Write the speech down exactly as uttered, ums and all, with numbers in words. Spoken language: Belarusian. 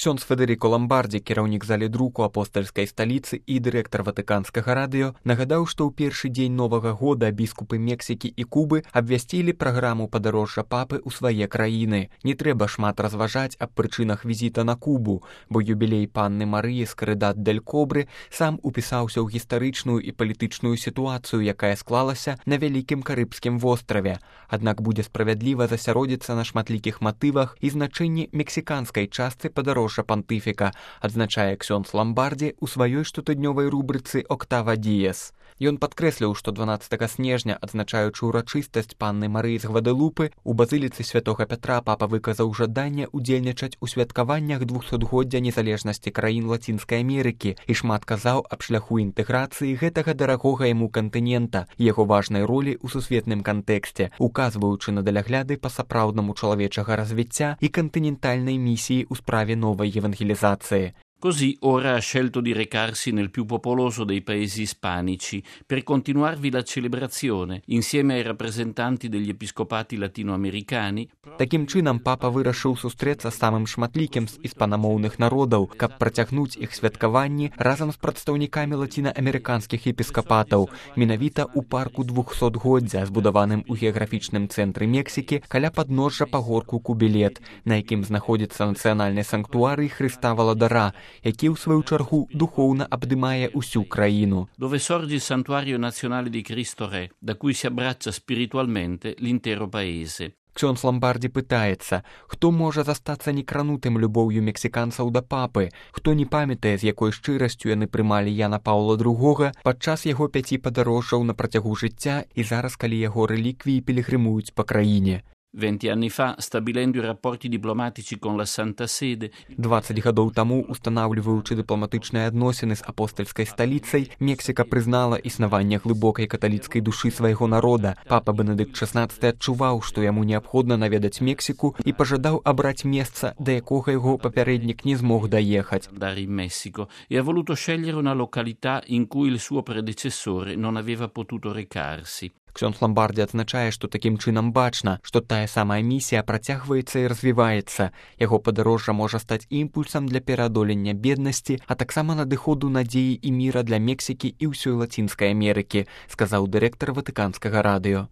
Ксёндз Федэріко Ламбардзі, кіраўнік заледруку апостальскай сталіцы і дырэктар ватыканскага радыё, нагадаў, што ў першы дзень новага года біскупы Мексікі і Кубы абвясцілі праграму падарожжа папы ў свае краіны. Не трэба шмат разважаць аб прычынах візіта на Кубу, бо юбілей панны Марыі з Карыдат-дель-Кобры сам упісаўся ў гістарычную і палітычную сітуацыю, якая склалася на вялікім карыбскім востраве. Аднак будзе справядліва засяродзіцца на шматлікіх матывах і значэнні мексіканскай частцы падарожжа пантыфіка, адзначае ксёндз Ламбардзі ў сваёй штотыднёвай рубрыцы «Октава Діес». Ён падкрэсліў, што дванаццатага снежня, адзначаючы ўрачыстасць панны Марыі з Гвадалупы, у базыліцы святога Пятра папа выказаў жаданне ўдзельнічаць у святкаваннях двухсотгоддзя незалежнасці краін Лацінскай Амерыкі і шмат казаў аб шляху інтэграцыі гэтага дарагога яму кантынента, яго важнай ролі ў сусветным кантэксце, указваючы на далягляды па сапраўднаму чалавечага развіцця і кантынентальнай місіі ў справе новой evangelizzazione. Così ora ha scelto di recarsi nel più popoloso dei paesi ispanici per continuarvi la celebrazione insieme ai rappresentanti degli episcopati latinoamericani. Такім чынам папа вырашыў сустрэцца з самым шматлікім з іспанамоўных народаў, каб працягнуць іх святкаванні разам з прадстаўнікамі лацінаамерыканскіх епіскапатаў, менавіта ў парку двухсотгоддзя, збудаваным у геаграфічным цэнтры Мексікі каля падножжа пагорку Кубілет, на якім знаходзіцца нацыянальны санктуарый Хрыста Валадара, які ў сваю чаргу духоўна абдымае ўсю краіну. Dove sorge il santuario nazionale di Cristo Re, da cui si abbraccia spiritualmente l'intero paese. Ксёндз Ламбардзі пытаецца, хто можа застацца некранутым любоўю мексіканцаў да папы, хто не памятае, з якой шчырасцю яны прымалі Яна Паўла другога падчас яго пяці падарожжаў на працягу жыцця і зараз, калі яго рэліквіі пілігрымуюць па краіне. Venti anni fa, stabilendo i rapporti diplomatici con la Santa Sede, дваццаць гадоў таму, устанаўліваючы дыпламатычныя адносіны з апостальскай сталіцай, Мексіка прызнала існаванне глыбокай каталіцкай душы свайго народа. Папа Бенедыкт шаснаццаты адчуваў, што яму неабходна наведаць Мексіку і пажадаў абраць месца, да якога яго папярэднік не змог даехаць. Andare in Messico, e ha voluto scegliere una località in cui il suo predecessore non aveva potuto recarsi. Ксёндз Ламбардзі адзначае, што такім чынам бачна, што тая самая місія працягваецца і развіваецца. Яго падарожжа можа стаць імпульсам для пераадолення беднасці, а таксама надыходу надзеі і міра для Мексікі і ўсёй Лацінскай Амерыкі, сказаў дырэктар ватыканскага радыё.